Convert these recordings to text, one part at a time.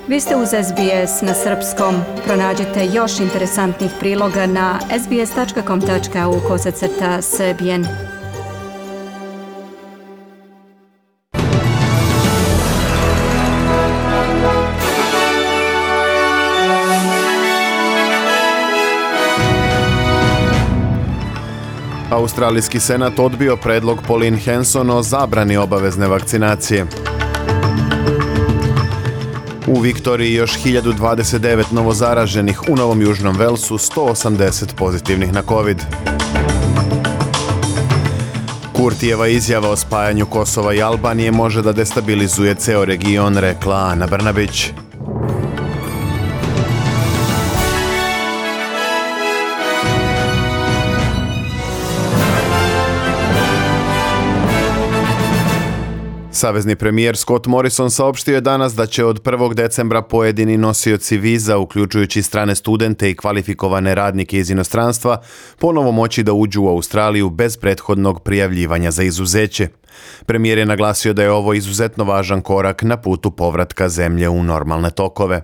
Vi ste uz SBS na srpskom. Pronađite još interesantnih priloga na sbs.com.au/srbijen. Australijski senat odbio predlog Pauline Hanson o zabrani obavezne vakcinacije. U Viktoriji još 1029 novozaraženih, u Novom Južnom Velsu 180 pozitivnih na COVID. Kurtijeva izjava o spajanju Kosova i Albanije može da destabilizuje ceo region, rekla Ana Brnabić. Savezni premijer Scott Morrison saopštio je danas da će od 1. decembra pojedini nosioci viza, uključujući strane studente i kvalifikovane radnike iz inostranstva, ponovo moći da uđu u Australiju bez prethodnog prijavljivanja za izuzeće. Premijer je naglasio da je ovo izuzetno važan korak na putu povratka zemlje u normalne tokove.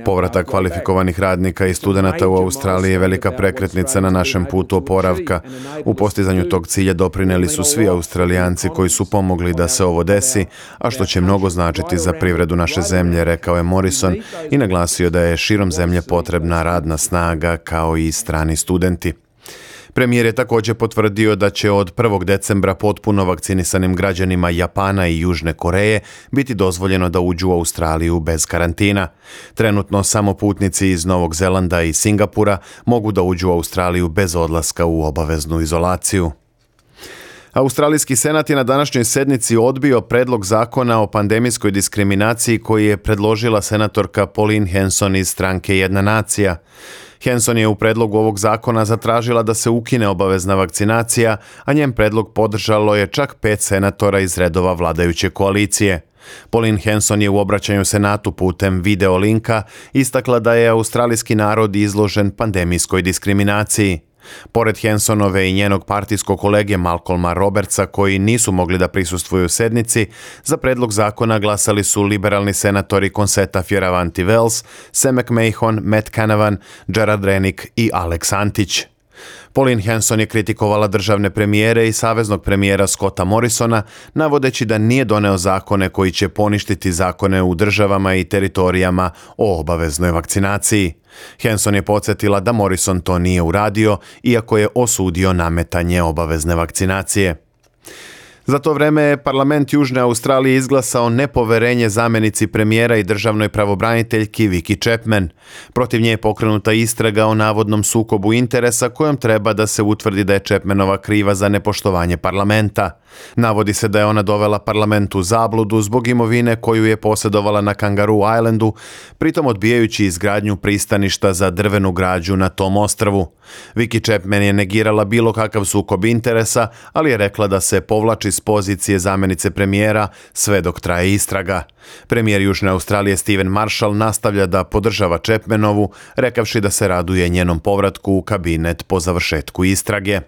Povratak kvalifikovanih radnika i studenata u Australiji je velika prekretnica na našem putu oporavka. U postizanju tog cilja doprineli su svi Australijanci koji su pomogli da se ovo desi, a što će mnogo značiti za privredu naše zemlje, rekao je Morrison i naglasio da je širom zemlje potrebna radna snaga kao i strani studenti. Premijer je također potvrdio da će od 1. decembra potpuno vakcinisanim građanima Japana i Južne Koreje biti dozvoljeno da uđu u Australiju bez karantina. Trenutno samo putnici iz Novog Zelanda i Singapura mogu da uđu u Australiju bez odlaska u obaveznu izolaciju. Australijski senat je na današnjoj sednici odbio predlog zakona o pandemijskoj diskriminaciji koji je predložila senatorka Pauline Hanson iz stranke Jedna nacija. Hanson je u predlogu ovog zakona zatražila da se ukine obavezna vakcinacija, a njen predlog podržalo je čak 5 senatora iz redova vladajuće koalicije. Pauline Hanson je u obraćanju senatu putem video linka istakla da je australijski narod izložen pandemijskoj diskriminaciji. Pored Hansonove i njenog partijskog kolege Malcolma Robertsa, koji nisu mogli da prisustvuju sednici, za predlog zakona glasali su liberalni senatori Concetta Fierravanti-Wells, Sam McMahon, Matt Canavan, Gerard Rennick i Alex Antić. Pauline Hanson je kritikovala državne premijere i saveznog premijera Scotta Morrisona, navodeći da nije doneo zakone koji će poništiti zakone u državama i teritorijama o obaveznoj vakcinaciji. Hanson je podsjetila da Morrison to nije uradio, iako je osudio nametanje obavezne vakcinacije. Za to vreme je parlament Južne Australije izglasao nepoverenje zamjenici premijera i državnoj pravobraniteljki Vicki Chapman. Protiv nje je pokrenuta istraga o navodnom sukobu interesa kojom treba da se utvrdi da je Chapmanova kriva za nepoštovanje parlamenta. Navodi se da je ona dovela parlament u zabludu zbog imovine koju je posjedovala na Kangaroo Islandu, pritom odbijajući izgradnju pristaništa za drvenu građu na tom ostrvu. Vicki Chapman je negirala bilo kakav sukob interesa, ali je rekla da se povlači s pozicije zamjenice premijera sve dok traje istraga. Premijer Južne Australije Stephen Marshall nastavlja da podržava Chapmanovu, rekavši da se raduje njenom povratku u kabinet po završetku istrage.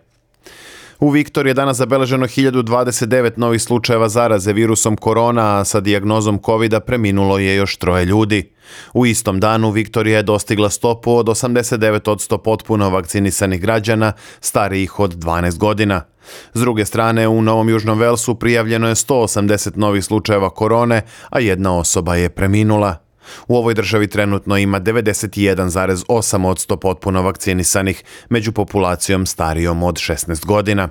U Viktoriji je danas zabeleženo 1029 novih slučajeva zaraze virusom korona, a sa dijagnozom COVID-a preminulo je još 3 ljudi. U istom danu Viktorija je dostigla stopu od 89% potpuno vakcinisanih građana starijih od 12 godina. S druge strane, u Novom Južnom Velsu prijavljeno je 180 novih slučajeva korone, a 1 osoba je preminula. U ovoj državi trenutno ima 91,8% potpuno vakcinisanih među populacijom starijom od 16 godina.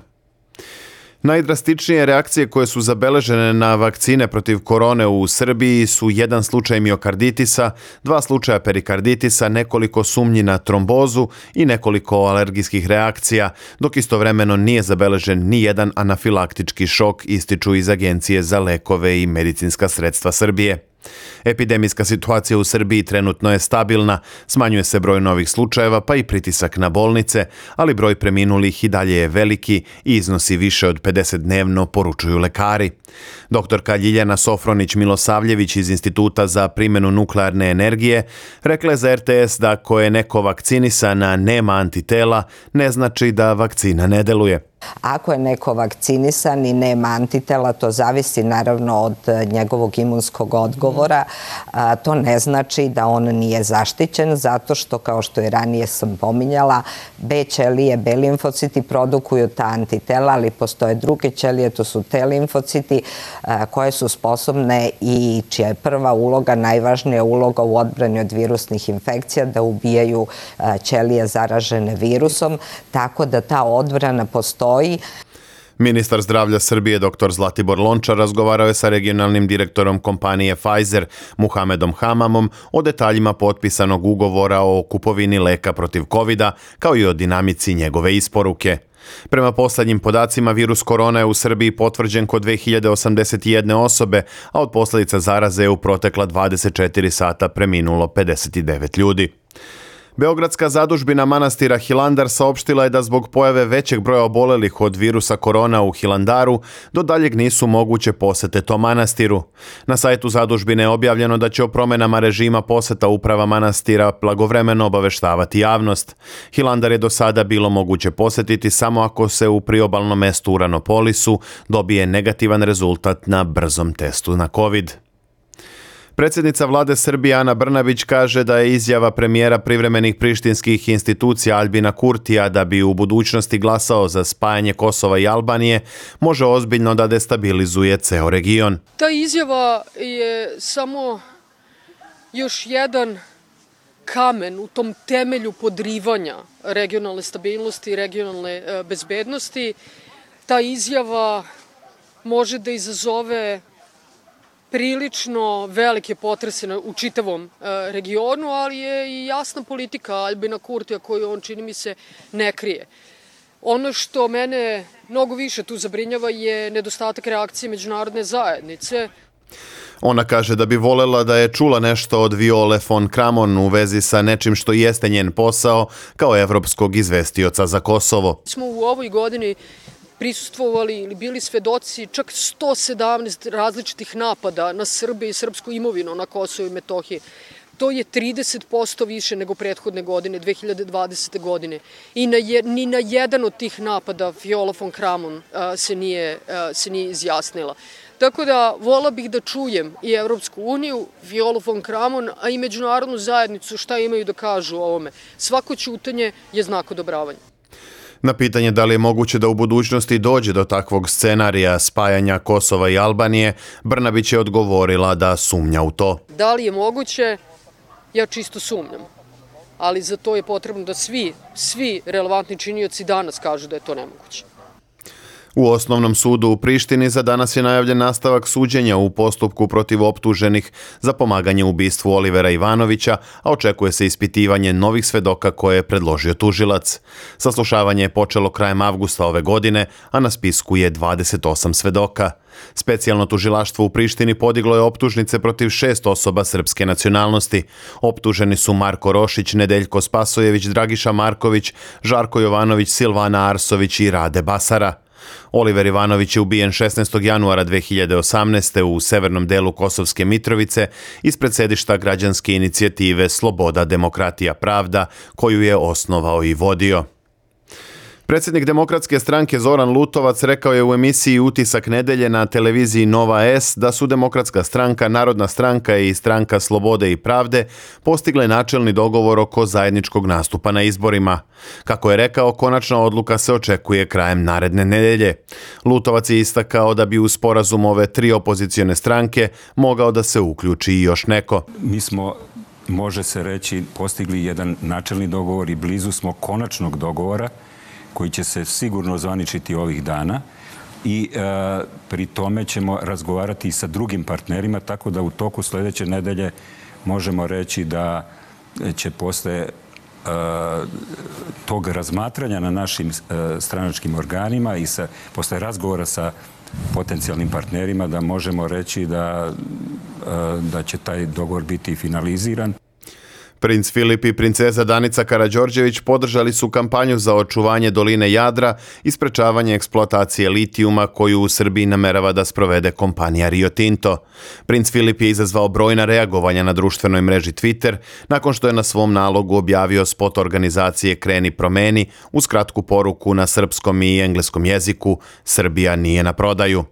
Najdrastičnije reakcije koje su zabeležene na vakcine protiv korone u Srbiji su 1 slučaj miokarditisa, 2 slučaja perikarditisa, nekoliko sumnji na trombozu i nekoliko alergijskih reakcija, dok istovremeno nije zabeležen ni jedan anafilaktički šok, ističu iz Agencije za lekove i medicinska sredstva Srbije. Epidemijska situacija u Srbiji trenutno je stabilna, smanjuje se broj novih slučajeva pa i pritisak na bolnice, ali broj preminulih i dalje je veliki i iznosi više od 50 dnevno, poručuju lekari. Doktorka Ljiljana Sofronić-Milosavljević iz Instituta za primjenu nuklearne energije rekla je za RTS da ako je neko vakcinisan, a nema antitela, ne znači da vakcina ne deluje. Ako je neko vakcinisan i nema antitela, to zavisi naravno od njegovog imunskog odgovora. To ne znači da on nije zaštićen, zato što, kao što i ranije sam pominjala, B ćelije, B limfociti produkuju ta antitela, ali postoje druge ćelije, to su T limfociti, koje su sposobne i čija je prva uloga, najvažnija uloga u odbrani od virusnih infekcija, da ubijaju ćelije zaražene virusom, tako da ta odbrana postoji. Ministar zdravlja Srbije dr. Zlatibor Lončar razgovarao je sa regionalnim direktorom kompanije Pfizer, Muhamedom Hamamom, o detaljima potpisanog ugovora o kupovini leka protiv covida, kao i o dinamici njegove isporuke. Prema poslednjim podacima, virus korona je u Srbiji potvrđen kod 2081 osobe, a od posljedica zaraze je u protekla 24 sata preminulo 59 ljudi. Beogradska zadužbina manastira Hilandar saopštila je da zbog pojave većeg broja obolelih od virusa korona u Hilandaru do daljeg nisu moguće posete tom manastiru. Na sajtu zadužbine je objavljeno da će o promjenama režima poseta uprava manastira blagovremeno obaveštavati javnost. Hilandar je do sada bilo moguće posetiti samo ako se u priobalnom mestu Uranopolisu dobije negativan rezultat na brzom testu na COVID. Predsjednica vlade Srbije Ana Brnabić kaže da je izjava premijera privremenih prištinskih institucija Aljbina Kurtija da bi u budućnosti glasao za spajanje Kosova i Albanije može ozbiljno da destabilizuje ceo region. Ta izjava je samo još jedan kamen u tom temelju podrivanja regionalne stabilnosti i regionalne bezbednosti. Ta izjava može da izazove prilično velike potrese u čitavom regionu, ali je i jasna politika Aljbina Kurtija koju on, čini mi se, ne krije. Ono što mene mnogo više tu zabrinjava je nedostatak reakcije međunarodne zajednice. Ona kaže da bi volela da je čula nešto od Viole von Kramon u vezi sa nečim što jeste njen posao kao evropskog izvestioca za Kosovo. Smo u ovoj godini prisustvovali ili bili svedoci čak 117 različitih napada na Srbe i srpsku imovinu na Kosovu i Metohiji. To je 30% više nego prethodne godine, 2020. godine. I ni na jedan od tih napada Viola von Kramon se nije izjasnila. Tako da vola bih da čujem i Evropsku uniju, Violu von Kramon, a i međunarodnu zajednicu šta imaju da kažu o ovome. Svako ćutanje je znak odobravanja. Na pitanje da li je moguće da u budućnosti dođe do takvog scenarija spajanja Kosova i Albanije, Brnabić je odgovorila da sumnja u to. Da li je moguće? Ja čisto sumnjam. Ali za to je potrebno da svi relevantni činioci danas kažu da je to nemoguće. U Osnovnom sudu u Prištini za danas je najavljen nastavak suđenja u postupku protiv optuženih za pomaganje u ubistvu Olivera Ivanovića, a očekuje se ispitivanje novih svedoka koje je predložio tužilac. Saslušavanje je počelo krajem avgusta ove godine, a na spisku je 28 svedoka. Specijalno tužilaštvo u Prištini podiglo je optužnice protiv 6 osoba srpske nacionalnosti. Optuženi su Marko Rošić, Nedeljko Spasojević, Dragiša Marković, Žarko Jovanović, Silvana Arsović i Rade Basara. Oliver Ivanović je ubijen 16. januara 2018. u severnom delu Kosovske Mitrovice ispred sedišta građanske inicijative Sloboda, demokratija, pravda, koju je osnovao i vodio. Predsjednik Demokratske stranke Zoran Lutovac rekao je u emisiji Utisak nedelje na televiziji Nova S da su Demokratska stranka, Narodna stranka i Stranka Slobode i pravde postigle načelni dogovor oko zajedničkog nastupa na izborima. Kako je rekao, konačna odluka se očekuje krajem naredne nedelje. Lutovac je istakao da bi u sporazum ove 3 opozicione stranke mogao da se uključi i još neko. Mi smo, može se reći, postigli jedan načelni dogovor i blizu smo konačnog dogovora koji će se sigurno zvaničiti ovih dana i pri tome ćemo razgovarati i sa drugim partnerima, tako da u toku sljedeće nedelje možemo reći da će posle tog razmatranja na našim stranačkim organima i posle razgovora sa potencijalnim partnerima da možemo reći da će taj dogovor biti finaliziran. Princ Filip i princeza Danica Karađorđević podržali su kampanju za očuvanje doline Jadra i sprečavanje eksploatacije litijuma koju u Srbiji namerava da sprovede kompanija Rio Tinto. Princ Filip je izazvao brojna reagovanja na društvenoj mreži Twitter nakon što je na svom nalogu objavio spot organizacije Kreni promeni uz kratku poruku na srpskom i engleskom jeziku "Srbija nije na prodaju".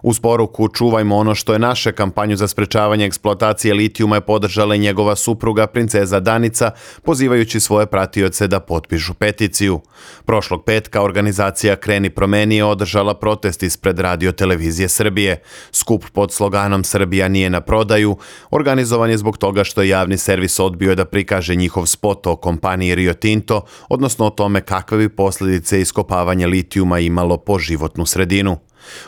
Uz poruku "Čuvajmo ono što je naše", kampanju za sprečavanje eksploatacije litijuma je podržala i njegova supruga princeza Danica, pozivajući svoje pratioce da potpišu peticiju. Prošlog petka organizacija Kreni promeni je održala protest ispred Radio televizije Srbije. Skup pod sloganom "Srbija nije na prodaju" organizovan je zbog toga što je javni servis odbio da prikaže njihov spot o kompaniji Rio Tinto, odnosno o tome kakve bi posljedice iskopavanje litijuma imalo po životnu sredinu.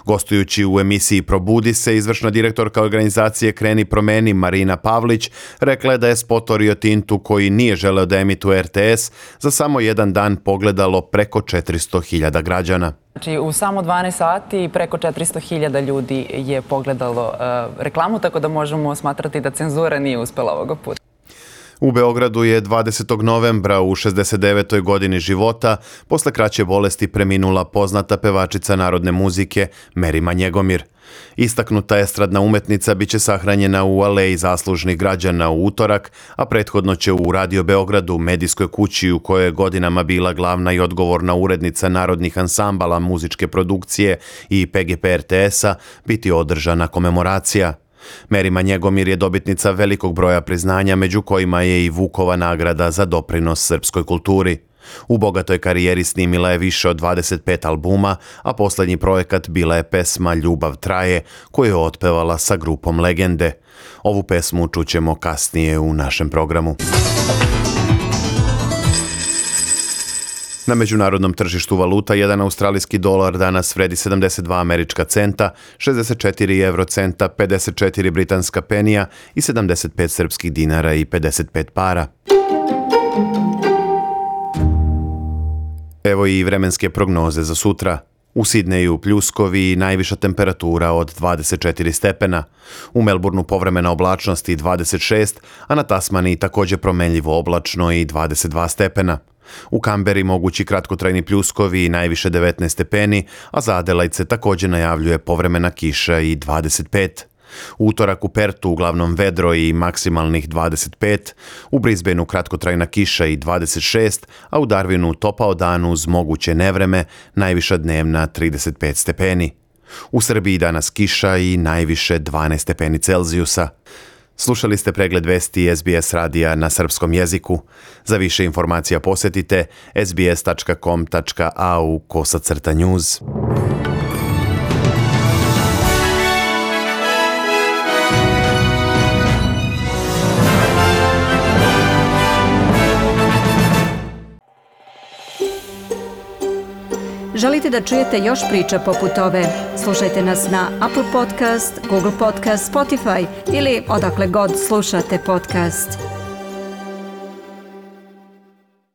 Gostujući u emisiji Probudi se, izvršna direktorka organizacije Kreni promeni Marina Pavlić rekla je da je spot o Rio Tintu, koji nije želeo da emituje RTS, za samo jedan dan pogledalo preko 400.000 građana. Znači, u samo 12 sati preko 400.000 ljudi je pogledalo reklamu, tako da možemo smatrati da cenzura nije uspela ovoga puta. U Beogradu je 20. novembra u 69. godini života posle kraće bolesti preminula poznata pevačica narodne muzike Merima Njegomir. Istaknuta estradna umetnica biće sahranjena u Aleji zaslužnih građana u utorak, a prethodno će u Radio Beogradu, medijskoj kući u kojoj je godinama bila glavna i odgovorna urednica narodnih ansambala muzičke produkcije i PGP RTS-a, biti održana komemoracija. Merima Njegomir je dobitnica velikog broja priznanja, među kojima je i Vukova nagrada za doprinos srpskoj kulturi. U bogatoj karijeri snimila je više od 25 albuma, a posljednji projekat bila je pesma "Ljubav traje", koju je otpevala sa grupom Legende. Ovu pesmu čućemo kasnije u našem programu. Na međunarodnom tržištu valuta jedan australijski dolar danas vredi 72 američka centa, 64 eurocenta, 54 britanska penija i 75 srpskih dinara i 55 para. Evo i vremenske prognoze za sutra. U Sidneju pljuskovi i najviša temperatura od 24 stepena. U Melbourneu povremena oblačnost i 26, a na Tasmaniji također promenljivo oblačno i 22 stepena. U Kamberi mogući kratkotrajni pljuskovi i najviše 19 stepeni, a za Adelajde također najavljuje povremena kiša i 25. U utorak u Pertu uglavnom vedro i maksimalnih 25, u Brisbaneu kratkotrajna kiša i 26, a u Darwinu topao dan uz moguće nevreme, najviša dnevna 35 stepeni. U Srbiji danas kiša i najviše 12 stepeni Celzijusa. Slušali ste pregled vesti SBS radija na srpskom jeziku. Za više informacija posjetite sbs.com.au/news. Želite da čujete još priča poput ove? Slušajte nas na Apple Podcast, Google Podcast, Spotify ili odakle god slušate podcast.